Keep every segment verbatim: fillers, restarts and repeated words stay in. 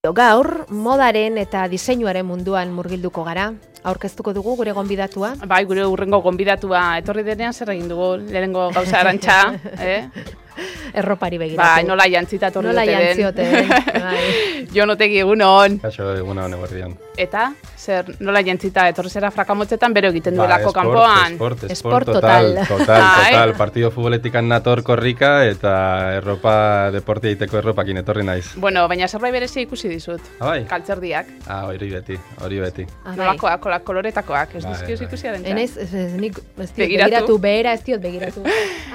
Gaur, modaren eta diseinuaren munduan murgilduko gara. Aurkeztuko dugu gure gonbidatua. Bai, gure urrengo gonbidatua etorri denean zer egin dugu, lehenengo gauza Arantxa, eh? Erropari begiratu. Bai, nola jantzita etorri nola dute den. jantziote. Bai. Jon Otegi egunon. Kaixo egunon eguerdian. Eta, zer, nola jantzita etorri zera frakamotzetan bero egiten Ba, duelako esport, kanpoan. Esport, esport, Esport total, total. total, Bai. total. Partido futboletikan nator korrika eta erropa, deportia egiteko erropakin etorri naiz. Bueno, baina zerbait berezia ikusi dizut. Ah, bai? Kaltzerdiak. Ah, hori beti, hori beti. Ah, bai. Nolakoak, kola- koloretakoak, ez Bai, dizkioz bai. ikusi Arantxa. Enaiz, ez, ez, nik ez diot Begiratu. begiratu, behera ez diot begiratu.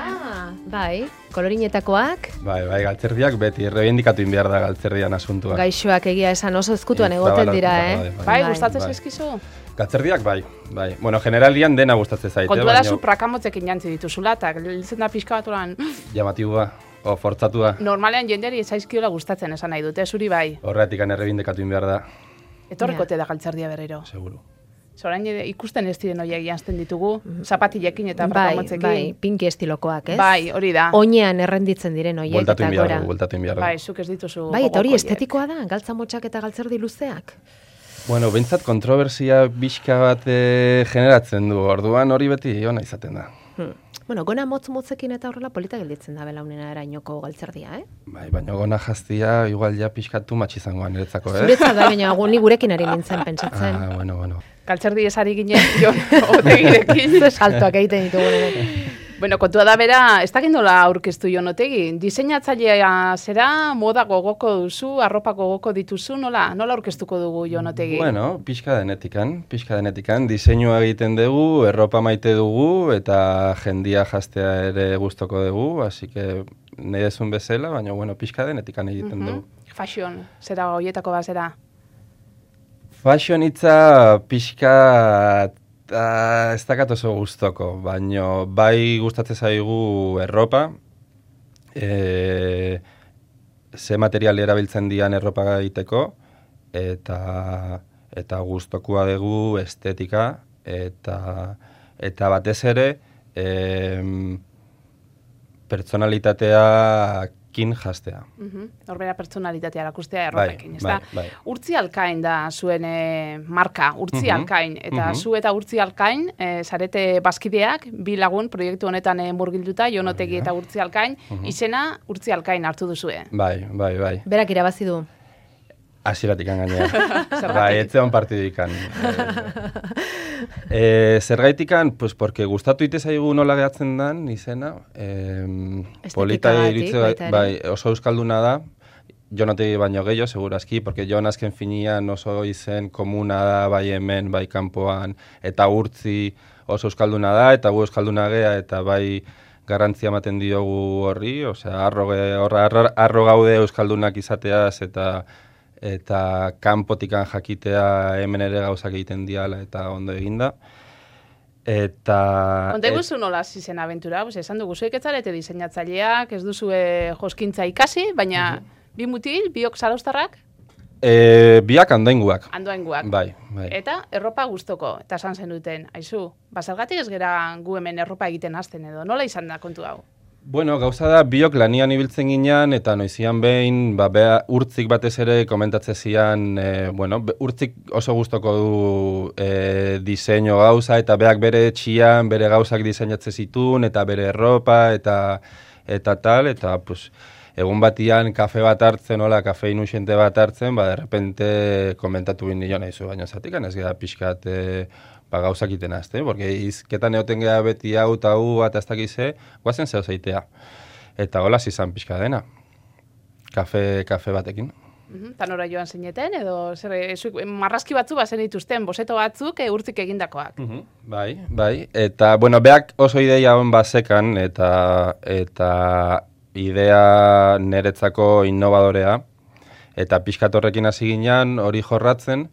Ah, bai, kolorinetakoak, Bai, bai, galtzerdiak beti, errebindikatu inbiar da galtzerdian asuntua. gaixoak egia esan oso ezkutuan Mm, egoten zabala- dira, bai, eh? bai. Bai, Bai. gustatzen Bai. zaizkizu? Galtzerdiak bai, bai. Bueno, generalian dena gustatzen zaite, Kontua da baina zu prakamotzekin jantzi dituzula, eta gelditzen da pixka bat oran, llamatibua, o fortzatua. normalean jendeari ez zaizkiola gustatzen esan nahi dute, zuri bai. Horretik errebindikatu inbiar da, Etorrikote da galtzerdia berriro. seguru. Zorain ikusten ez diren horiek janzten ditugu, zapatilekin eta Bai, prakamotzekin. bai, pinki estilokoak, ez? Bai, hori da. Oinean errenditzen diren hoiek Bueltatu eta inbiar gora. du, bueltatu inbiar du. Bai, zuk ez dituzu Bai, eta hori gogoko horiek. estetikoa da, galtza motxak eta galtzerdi luzeak. Bueno, behintzat kontrobersia bizka bat eh, generatzen du, orduan hori beti ona izaten da. Hmm. Bueno, gona motz motzekin eta horrela polita gelditzen da belaunena erainoko galtzerdia, eh? Bai, baina gona jaztia igual ja pixkatu matxizangoan niretzako, eh? Zuretzat da, baina gu- ni gurekin ari nintzen pentsatzen. Ah, bueno, bueno. Galtzerdi esari ginen, Jon Otegirekin. Ze saltoak egiten ditugu hemen. Bueno, kontua da bera, ez dakit nola aurkeztu Jon Otegi. Diseinatzailea zera, moda gogoko duzu, arropa gogoko dituzu, nola? Nola aurkeztuko dugu Jon Otegi? Bueno, pixka denetikan, pixka denetikan, diseinua egiten dugu, erropa maite dugu, eta jendia jaztea ere gustoko dugu, así que nahi dezun bezala, baina, bueno, pixka denetikan egiten Mhm. dugu. Fashion, zera hoietako bat zera. Fashion hitza pixka uh, ez dakat oso gustoko, baino bai gustatzen zaigu erropa, e, ze material erabiltzen dian erropa egiteko, eta eta gustokoa dugu estetika, eta eta batez ere em, pertsonalitateakin jaztea. Mhm. Horbera pertsonalitatea erakustea Bai, erropekin, ezta? bai, bai. Urtzi Alkain da zuen eh, marka, Urtzi Mhm, Alkain. Eta mhm. zu eta Urtzi Alkain, eh, zarete bazkideak, bi lagun proiektu honetan eh, murgilduta, Jon Otegi eta Urtzi Alkain, izena Urtzi Alkain hartu duzue. Bai, bai, bai. Berak irabazi du. Hasieratik gainera. Zergatik? Bai, etzeon partidikan. Eh, zergaitikan, pues porque gustatu ite zaigu nola gehatzen dan izena. Eh, polita Estetikagatik iritze, baita ere. bai, oso euskalduna da. Jon Otegi baino gehiago, segurazki, porque Jon azken finian oso izen komuna da, bai hemen, bai kanpoan, eta Urtzi oso euskalduna da, eta gu euskalduna gea, eta bai garrantzia ematen diogu horri, osea, arro, ge- horra- arro, arro gaude euskaldunak izateaz, eta eta kanpotikan jakitea hemen ere gauzak egiten diala eta ondo eginda. Eta... Konta eguzu nola hasi zen abentura, pues, esan dugu zuek ez zarete diseinatzaileak, ez duzue joskintza ikasi, baina bi mutil, biok zaraustarrak, E, biak andoinguak. andoainguak. Bai, bai. Eta erropa gustoko, eta esan zen duten, aizu, bazergatik ez gera gu hemen erropa egiten hasten edo, nola izan da kontu hau? Bueno, gauza da, biok lanian ibiltzen ginean, eta noizian behin, ba, bea, Urtzik batez ere komentatze zian, e, bueno, be- Urtzik oso gustoko du e, diseinu gauza, eta beak bere etxian, bere gauzak diseinatze zitun, eta bere erropa, eta eta tal, eta, pues, egun batian kafe bat hartzen, hola, kafe inusiente bat hartzen, ba, derrepente komentatu bin nio nahizu, baina zatik, ez gara pixkat, e, ba, gauzak iten azte, porque izketan egoten geha beti hau eta hu eta ez dakize, guazen zeu zeitea. Eta hola izan pixka dena, kafe, kafe batekin. Mhm, eta nora joan zineten, edo zer, e, zuek, marrazki batzu bazen dituzten, boseto batzuk e, Urtzik egindakoak. Bai, bai, eta, bueno, beak oso ideia hon bazekan, eta, eta idea niretzako innovadorea, eta pixkat horrekin hasi ginean, hori jorratzen,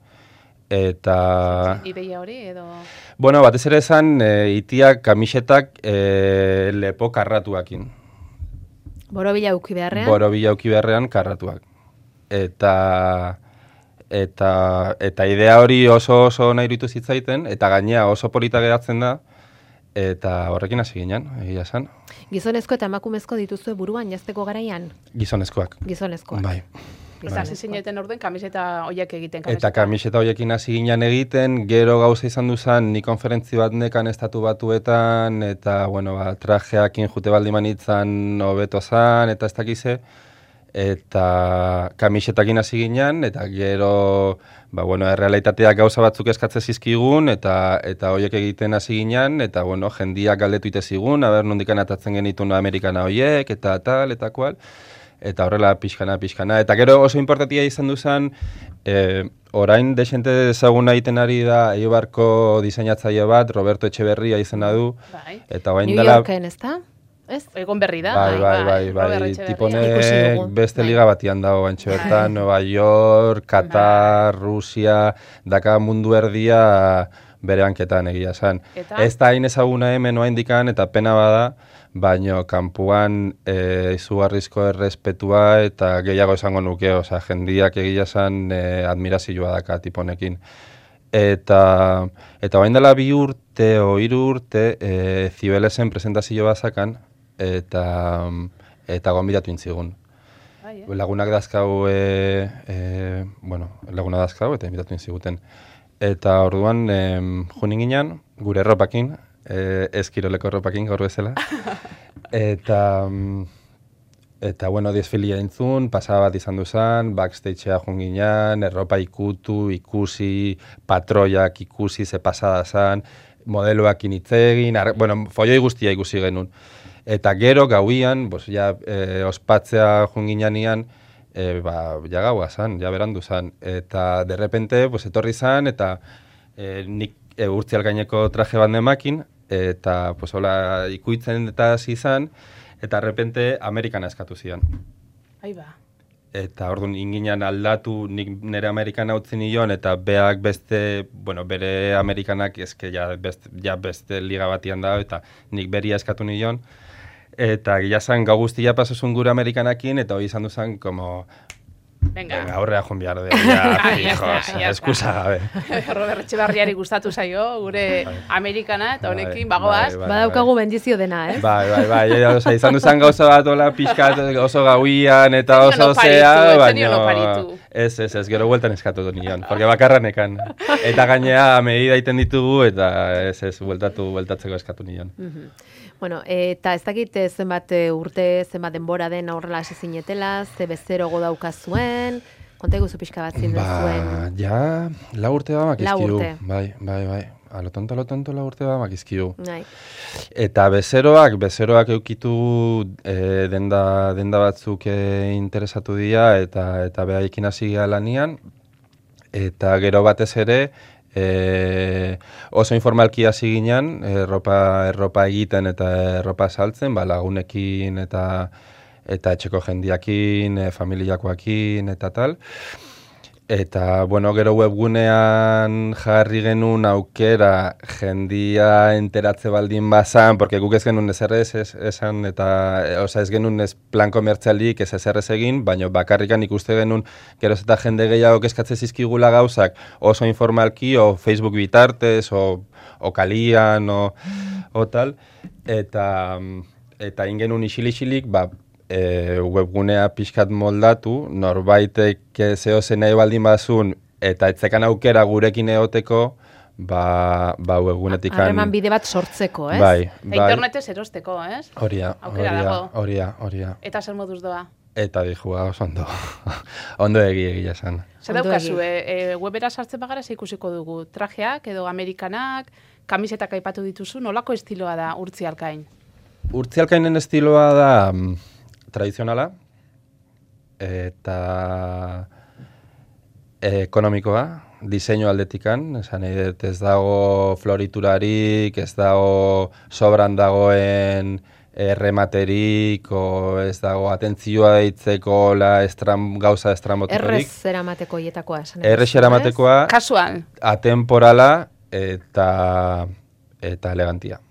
eta... Ideia hori, edo... Bueno, batez ere esan, e, itiak, kamisetak e, lepo karratuakin. Borobila uki beharrean. Borobila uki beharrean karratuak. Eta, eta, eta idea hori oso oso nahi iruditu zitzaiten, eta gainea oso polita geratzen da, eta horrekin hasi ginen, egia esan. Gizonezko eta emakumezko dituzue buruan jazteko garaian? Gizonezkoak. Gizonezkoak. Bai. Eta hasi zineten orden kamiseta horiek egiten. Eta kamiseta horiekin hasi ginen egiten, gero gauza izan duzan, ni konferentzi bat nekan estatu batuetan, eta, bueno, ba, trajeakin jute baldi manitzan hobeto zan, eta ez dakize, eta kamisetakin hasi ginen, eta gero, ba, bueno, errealitateak gauza batzuk eskatze zizkigun, eta eta horiek egiten hasi ginen, eta, bueno, jendiak galdetu ite zigun, aber nondikan atatzen genitun Amerikana horiek, eta tal, eta kual, eta horrela pixkana, pixkana. Eta gero oso importantia izan duzan, e, orain desente ezaguna egiten ari da Eibarko diseinatzaile bat, Roberto Etxeberria izena du, bai. eta orain New dela... Yorken, ez da? Ez? Egon berri da. Bai, bai, bai, bai, bai. Tiponek beste liga batian dago bantxe bertan, Nueva York, Katar, Rusia, daka mundu erdia bere hanketan egia esan. Ez da hain ezaguna hemen oa indikan, eta pena bada, baino kanpuan e, izugarrizko errespetua eta gehiago esango nuke, oza, jendiak egia esan e, admirazioa daka tiponekin. Eta, eta bain dela bi urte o hiru urte e, Zibelesen presentazio bazakan, eta, eta gonbidatu intzigun. Bai, eh? Lagunak dazkau, e, e, bueno, laguna dazkau eta inbitatu intziguten. Eta orduan, e, junin ginen, gure erropakin, e, eskiroleko erropakin gaur bezala. Eta, eta bueno, desfilia intzun, pasaba bat izan duzan, backstagea junginan, erropa ikutu, ikusi, patroiak ikusi, ze pasada zan, modeloak initzegin, bueno, foioi guztia ikusi genuen. Eta gero gauian, pues, ja, e, ospatzea junginanian, e, ba, ja gaua zan, ja berandu zan. Eta derrepente, pues, etorri zan, eta e, nik e, urtzial gaineko traje bat nemakin, eta pues, hola, ikuitzen eta hasi zan, eta derrepente Amerikana eskatu zian. Ahí ba. Eta orduan inginan aldatu, nik nire Amerikana utzi nion, eta beak beste, bueno, bere Amerikanak eske ja beste, ja beste liga batian da, eta nik beria eskatu nion. Eta gila zan, gau guztia pasozun gure Amerikanakin, eta hori izan duzan, como... Venga, venga aurrea joan behar de, ja, fijo, eskusa gabe. Robert Etxeberriari gustatu zaio, gure Amerikana, eta honekin, bagoaz. Badaukagu bendizio dena, ez? Bai, bai, bai, oza, izan duzan gauza bat, ola, pixkat, oso gauian, eta oso zea, baina... Ez, ez, ez, gero bueltan eskatu du nion, porque bakarranekan. Eta gainea, medida iten ditugu, eta ez, ez, bueltatu, bueltatzeko eskatu nion. Bueno, eta ez dakit zenbat urte, zenbat denbora den aurrela hasi zinetela, ze bezerogo daukazuen, konta eguzu pixka bat zindu zuen. Ba, ja, lau urte ba makizkiu. Lau urte. Bai, bai, bai. A lo tonto, a lo tonto, lau urte ba makizkiu. Bai. Eta bezeroak, bezeroak eukitu e, denda, denda batzuk e, interesatu dira, eta eta behaikin hasi gara lanian, eta gero batez ere, E, oso informalki hasi ginen, erropa, erropa egiten eta erropa saltzen, ba, lagunekin eta eta etxeko jendiakin, e, familiakoakin eta tal. Eta, bueno, gero webgunean jarri genuen aukera jendia enteratze baldin bazan, porque guk ez genuen ezerrez esan, eta, oza, ez genuen ez plan komertzialik ez ezerrez egin, baina bakarrikan ikuste genuen geroz eta jende gehiago eskatze zizkigula gauzak oso informalki, o Facebook bitartez, o, o kalian, o, o tal, eta, eta ingenuen isili-isilik, ba, E, webgunea pixkat moldatu, norbaitek zeo zen nahi baldin bazun, eta etzekan aukera gurekin eoteko, ba, ba webgunetikan... Harreman bide bat sortzeko, ez? Bai, bai. Internetez erosteko, ez? Horia, horia, horia, horia. Eta zer moduz doa? Eta dijua, oso ondo. Ondo egi egia esan. Zer daukazu, e, e, webera sartzen bagara ze ikusiko dugu? Trajeak edo Amerikanak, kamisetak aipatu dituzu, nolako estiloa da Urtzialkain? Urtzialkainen estiloa da... tradizionala eta ekonomikoa, diseinu aldetikan, esan edet ez dago floriturarik, ez dago sobran dagoen errematerik, o ez dago atentzioa deitzeko la estram, gauza estramotikorik. Errez eramateko hietakoa, esan edet. Errez eramatekoa, kasual, atemporala eta, eta elegantia.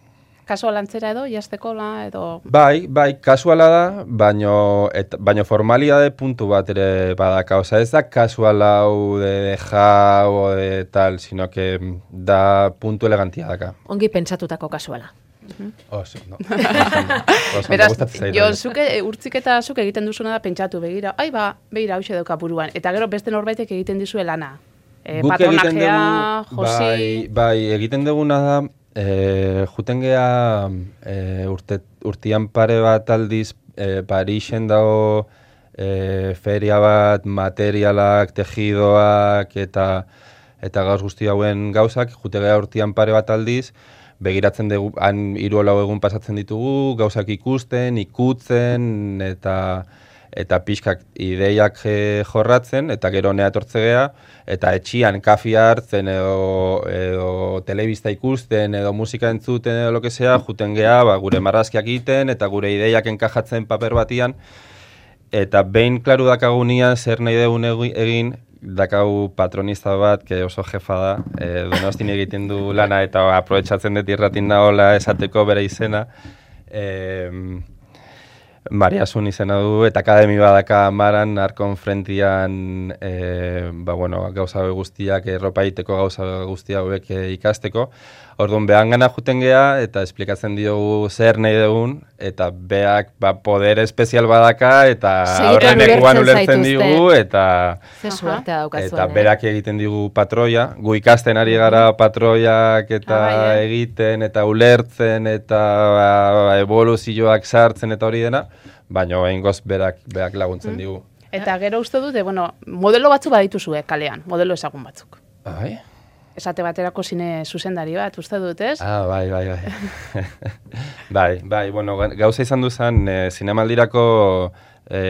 Kasualantzera edo, jazteko la, edo... Bai, bai, kasuala da, baino, et, baino formalidade puntu bat ere badaka. Osa, ez da kasuala hau de deja o de tal, sino que da puntu elegantia daka. Ongi pentsatutako kasuala. Oso, no. Oso, Beraz, gustatzen jo, zait. zuke, urtzik eta zuk egiten duzuna da pentsatu begira, ai ba, begira hause dauka buruan. Eta gero beste norbaitek egiten dizue lana. E, Guk egiten patronajea, dugu, josi... bai, bai, egiten duguna da, e, juten geha e, urte, urtian pare bat aldiz e, Parixen dago e, feria bat, materialak, tejidoak eta eta gauz guzti hauen gauzak, jute geha urtian pare bat aldiz, begiratzen dugu, han hiru lau egun pasatzen ditugu, gauzak ikusten, ikutzen, eta eta pixkak ideiak e, jorratzen, eta gero nea etortze geha, eta etxian kafia hartzen edo, edo telebista ikusten edo musika entzuten edo lo que sea, juten geha, ba, gure marrazkiak egiten eta gure ideiak enkajatzen paper batian, eta behin klaru dakagunia zer nahi dugun egin, dakau patronista bat, que oso jefa da, e, Donostin egiten du lana eta aprobetxatzen dut irratin nahola esateko bere izena, e, Maria Sun izena du, eta akademi badaka Maran, Arkon frentian, e, ba, bueno, gauza guztiak, erropa egiteko gauza guztiak hauek ikasteko. Orduan, behan gana juten geha, eta esplikatzen diogu zer nahi dugun, eta beak ba, poder espezial badaka, eta horren ekuan ulertzen digu, eta, eta berak egiten digu patroia. Gu ikasten ari gara patroiak eta ah, egiten, eta ulertzen, eta ba, evoluzioak sartzen, eta hori dena, baina behingoz berak, berak laguntzen mm. digu. Eta gero uste dute, bueno, modelo batzu badituzue kalean, modelo ezagun batzuk. Bai? Esate baterako zine zuzendari bat, uste dut, ez? Ah, bai, bai, bai. bai, bai, bueno, gauza izan duzan, e, zinemaldirako e,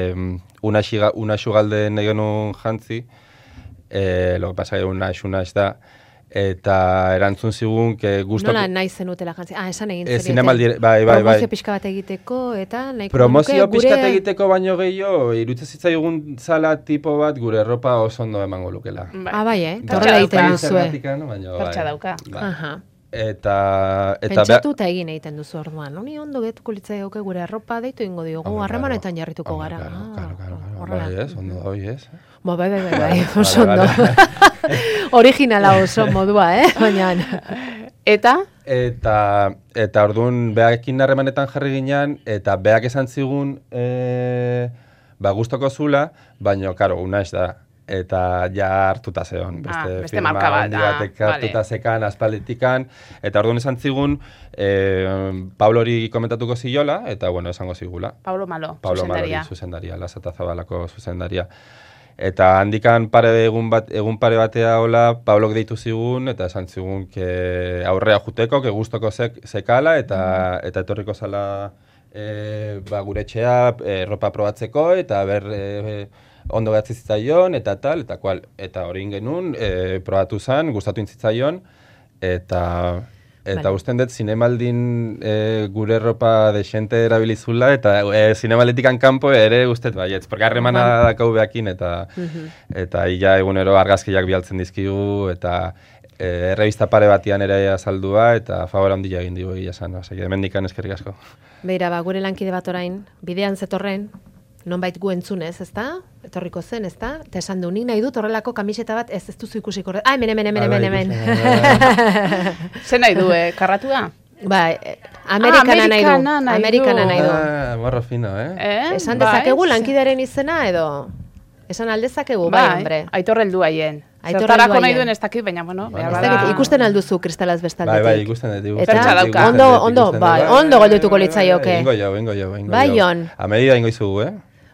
unaxu galde negenun jantzi, e, lo que pasa, unax, unax da, eta erantzun zigun, que gustoko... Nola nahi zenutela jantzi? Ah, esan egin e, zinemaldire, bai, bai, bai. Promozio pixka bat egiteko, eta nahiko... Promozio pixka bat egiteko baino gehiago, irutze zitzaigun zala tipo bat gure erropa oso ondo emango lukela. Bai. Ah, bai, eh? Torrela egiten duzue. Pertsa dauka. Aha. Eta... eta pentsatu eta egin egiten duzu orduan. Honi ondo getuko litzai gauke gure arropa deitu ingo diogu, harremanetan jarrituko gara. Claro, claro, claro. Bai, ez, ondo da hoi, ez. Ba, bai, bai, bai, bai, oso ondo. Originala oso modua, eh? Baina... Eta? Eta, eta orduan, behakekin harremanetan jarri ginean, eta behak esan zigun, e, ba, gustoko zula, baina, karo, una ez da. Eta ja hartuta zeon, beste, ah, beste firma handi batek ah, hartuta vale. zekan, aspalditikan, eta orduan esan zigun, e, Pablori komentatuko ziola, eta bueno, esango zigula. Pablo Malo, Pablo zuzendaria. Malori, zuzendaria, Lasata Zabalako zuzendaria. Eta handikan pare egun, bat, egun pare batea hola, Pablok deitu zigun, eta esan zigun, que aurrea juteko, que gustoko zek, zekala, eta, mm. eta etorriko zala e, ba, gure etxea, e, ropa probatzeko, eta ber... E, ondo behatzi zitzaion, eta tal, eta kual, eta hori ingenun, e, probatu zen, gustatu intzitzaion, eta eta vale. Usten dut, zinemaldin e, gure ropa desente erabilizula, eta e, zinemaletikan kanpo ere ustet baietz, porque harremana uh-huh. dakau behakin, eta uh-huh. eta ia egunero argazkiak bialtzen dizkigu, eta e, errebista pare batian ere azaldua, eta favor handia egin digu egia esan, osea, hemendikan eskerrik asko. Beira, ba, gure lankide bat orain, bidean zetorren, nonbait gu entzunez, ezta? Etorriko zen, ezta? Eta esan du, nik nahi dut horrelako kamiseta bat, ez ez duzu ikusiko. Ah, hemen, hemen, hemen, hemen, hemen. Zer nahi du, eh? Karratu da? Ba, Amerikana nahi du. Amerikana nahi du. Ah, morro fino, eh? eh? Esan dezakegu lankidaren izena, edo? Esan aldezakegu, bai, hombre. Aitor heldu haien. Zertarako nahi duen ez dakit, baina, bueno, behar bada... Ikusten alduzu kristalaz bestaldetik. Bai, bai, ikusten dut. Pertsa dauka. Ondo, ondo, bai, ondo goldutuko litzaioke. Ingo jo, ingo jo, ingo jo. Bai, Jon. A medida ingo izugu, eh?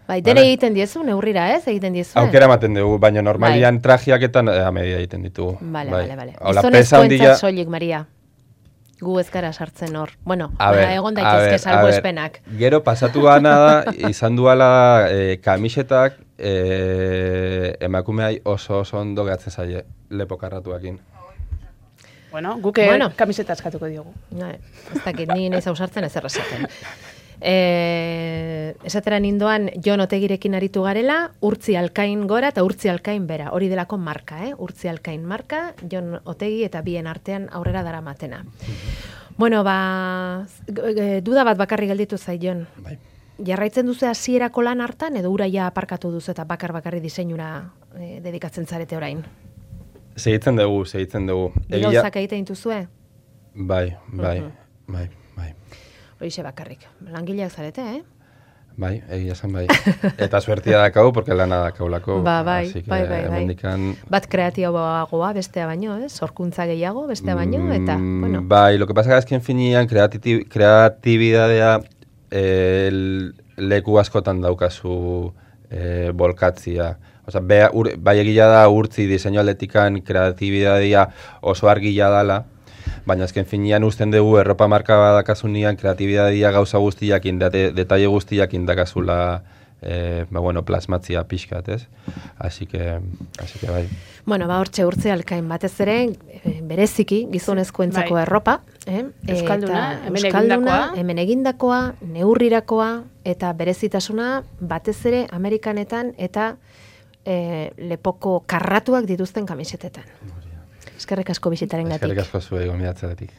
Bai, dene egiten diezu, neurrira, ez? Egiten diezu. Aukera ematen dugu, baina normalian trajiaketan a medida egiten ditugu. Bale, bale, bale. Gizonezko entzat soilik, Maria. Gu ez gara sartzen hor. Bueno, egon daitezke salgo espenak. Gero pasatu gana da, izan duala e, kamisetak e, emakumeai oso oso ondo gehatzen zaie lepo karratuakin. Bueno, guke bueno. Kamiseta eskatuko diogu. No, ez dakit, ni nahi zausartzen ez errezaten. E, esatera nindoan Jon Otegirekin aritu garela, Urtzi Alkain gora eta Urtzi Alkain bera. Hori delako marka, eh? Urtzi Alkain marka, Jon Otegi eta bien artean aurrera daramatena. Bueno, ba, duda bat bakarri gelditu zait, Jon. Bai. Jarraitzen duzu hasierako lan hartan edo uraia aparkatu duzu eta bakar bakarri diseinura e, dedikatzen zarete orain? Segitzen dugu, segitzen dugu. Gauzak egiten dituzue? Bai, bai, uh-huh. bai, bai. Hoixe bakarrik. Langileak zarete, eh? Bai, egia esan bai. Eta suertia dakau, porque lana dakaulako. Ba, bai, así que bai, bai, bai. hemendikan... Bat kreatiboagoa bestea baino, eh? Sorkuntza gehiago bestea baino, eta, Mm, bueno. Bai, lo que pasa es que en finian kreatiti- kreatibidadea eh, leku askotan daukazu eh, bolkatzia. Osea, bea, ur, bai egia da urtzi diseinu aldetikan kreatibidadea oso argila dala, baina azken finean usten dugu erropa marka badakasunean kreatibidadea gauza guztiak indate, detalle guztiak indakazula eh, ba, bueno, plasmatzia pixkat, ez? Así que, así que bai. Bueno, ba, hortxe urtzi alkain batez ere, e, bereziki, gizonezkoentzako Bai. erropa. Eh? Euskalduna, Eta hemen euskalduna, egindakoa. hemen egindakoa, neurrirakoa, eta berezitasuna batez ere Amerikanetan eta e, lepoko karratuak dituzten kamisetetan. Eskerrik asko bisitarengatik. Eskerrik asko zuei gomidatzearetik.